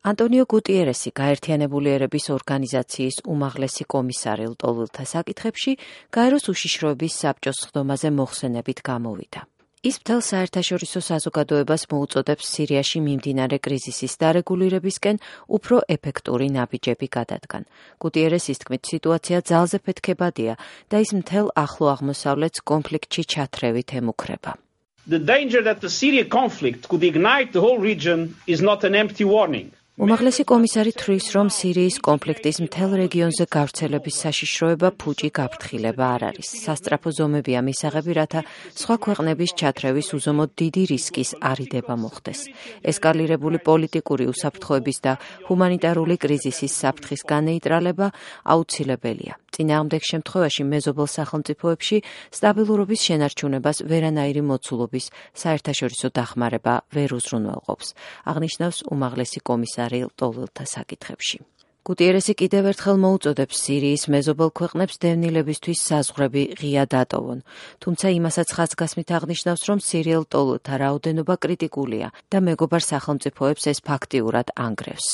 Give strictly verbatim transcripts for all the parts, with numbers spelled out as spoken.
ანტონიო გუტიერესი გაერთიანებული ერების ორგანიზაციის უმაღლესი კომისარი ლტოლვილთა საკითხებში გაეროს უშიშროების საბჭოს სხდომაზე მოხსენებით გამოვიდა. ის მთელ საერთაშორისო საზოგადოებას მოუწოდებს სირიაში მიმდინარე კრიზისის დარეგულირებისკენ უფრო ეფექტური ნაბიჯები გადადგან. გუტიერესის თქმით, სიტუაცია ძალზე ფეთქებადია და ის მთელ ახლო აღმოსავლეთს კონფლიქტში ჩათრევით ემუქრება. The danger that the Syria conflict could ignite the whole region is not an empty warning. უმაღლესი კომისარი თვლის, რომ სირიის კონფლიქტის მთელ რეგიონზე გავრცელების საშიშროება ფუჭი გაფრთხილება არ არის. სასწრაფო ზომებია მისაღები, რათა სხვა ქვეყნების ჩათრევის უზომოდ დიდი რისკის არიდება მოხდეს. ესკალირებული პოლიტიკური უსაფრთხოების და ჰუმანიტარული კრიზისის საფრთხის განეიტრალება აუცილებელია. წინააღმდეგ შემთხვევაში მეზობელ სახელმწიფოებში სტაბილურობის შენარჩუნებას ვერანაირი მოცულობის საერთაშორისო დახმარება ვერ უზრუნველყოფს, აღნიშნავს უმაღლესი კომისარი ლტოლვილთა საკითხებში. გუტიერესი კიდევ ერთხელ მოუწოდებს სირიის მეზობელ ქვეყნებს დევნილებისთვის საზღვრები ღია დატოვონ, თუმცა იმასაც ხაზგასმით აღნიშნავს, რომ სირიელ ლტოლვილთა რაოდენობა კრიტიკულია და მეგობარ სახელმწიფოებს ეს ფაქტიურად ანგრევს.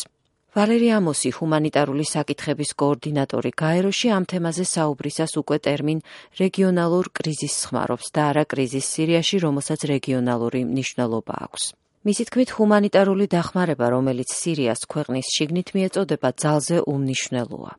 ვალერი ამოსი, ჰუმანიტარული საკითხების კოორდინატორი გაეროში, ამ თემაზე საუბრისას უკვე ტერმინ რეგიონალურ კრიზისს ხმარობს და არა კრიზისს სირიაში, რომელსაც რეგიონალური მნიშვნელობა აქვს. მისი თქმით, ჰუმანიტარული დახმარება, რომელიც სირიას ქვეყნის შიგნით მიეწოდება, ძალზე უმნიშვნელოა.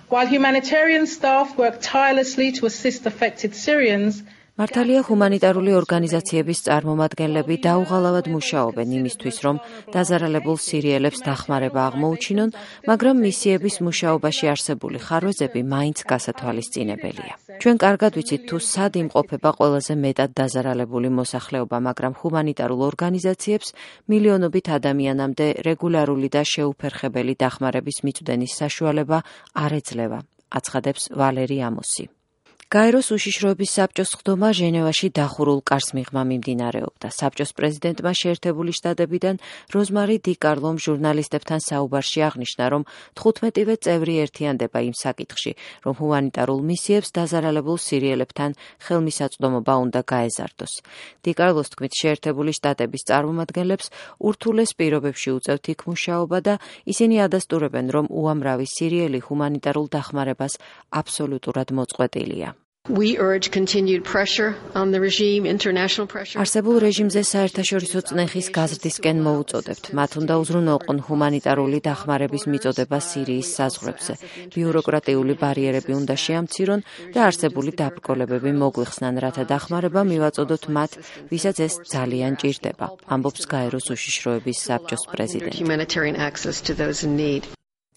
While humanitarian staff work tirelessly to assist affected Syrians, მართალია ჰუმანიტარული ორგანიზაციების წარმომადგენლები დაუღალავად მუშაობენ იმისთვის, რომ დაზარალებულ სირიელებს დახმარება აღმოუჩინონ, მაგრამ მისიების მუშაობაში არსებული ხარვეზები მაინც გასათვალისწინებელია. ჩვენ კარგად ვიცით, თუ სად იმყოფება ყველაზე მეტად დაზარალებული მოსახლეობა, მაგრამ ჰუმანიტარულ ორგანიზაციებს მილიონობით ადამიანამდე რეგულარული და შეუფერხებელი დახმარების მიწვდენის საშუალება არ ეძლევა, აცხადებს ვალერი ამოსი. გაეროს უშიშროების საბჭოს სხდომა ჟენევაში დახურულ კარს მიღმა მიმდინარეობდა. საბჭოს პრეზიდენტმა შეერთებული შტატებიდან როზმარი დი კარლომ ჟურნალისტებთან საუბარში აღნიშნა, რომ თხუთმეტივე წევრი ერთიანდება იმ საკითხში, რომ ჰუმანიტარულ მისიებს დაზარალებულ სირიელებთან ხელმისაწვდომობა უნდა გაეზარდოს. დი კარლოს თქმით, შეერთებული შტატების წარმომადგენლებს ურთულეს პირობებში უწევთ იქ მუშაობა და ისინი ადასტურებენ, რომ უამრავი სირიელი ჰუმანიტარულ დახმარებას აბსოლუტურად მოწყვეტილია. We urge continued pressure on the regime, international pressure. არსებულ რეჟიმზე საერთაშორისო წნეხის გაზრდისკენ მოუწოდებთ. მათ უნდა უზრუნველყონ ჰუმანიტარული დახმარების მიწოდება სირიის საზღვრებზე. ბიუროკრატიული ბარიერები უნდა შეამცირონ და არსებული დაბრკოლებები მოგვიხსნან, რათა დახმარება მივაწოდოთ მათ, ვისაც ეს ძალიან ჭირდება, ამბობს გაეროს უშიშროების საბჭოს პრეზიდენტი. Humanitarian access to those in need.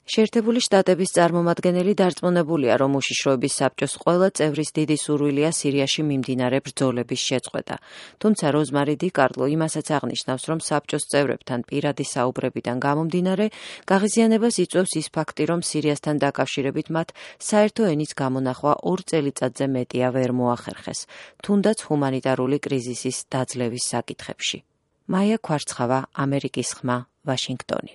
შეერთებული შტატების წარმომადგენელი დარწმუნებულია, რომ უშიშროების საბჭოს ყველა წევრის დიდი სურვილია სირიაში მიმდინარე ბრძოლების შეწყვეტა. თუმცა როზმარი დი კარლო იმასაც აღნიშნავს, რომ საბჭოს წევრებთან პირადი საუბრებიდან გამომდინარე, გაღიზიანებას იწვევს ის ფაქტი, რომ სირიასთან დაკავშირებით მათ საერთო ენის გამონახვა ორ წელიწადზე მეტია ვერ მოახერხეს, თუნდაც ჰუმანიტარული კრიზისის დაძლევის საკითხებში. მაია ქვარცხავა, ამერიკის ხმა, ვაშინგტონი.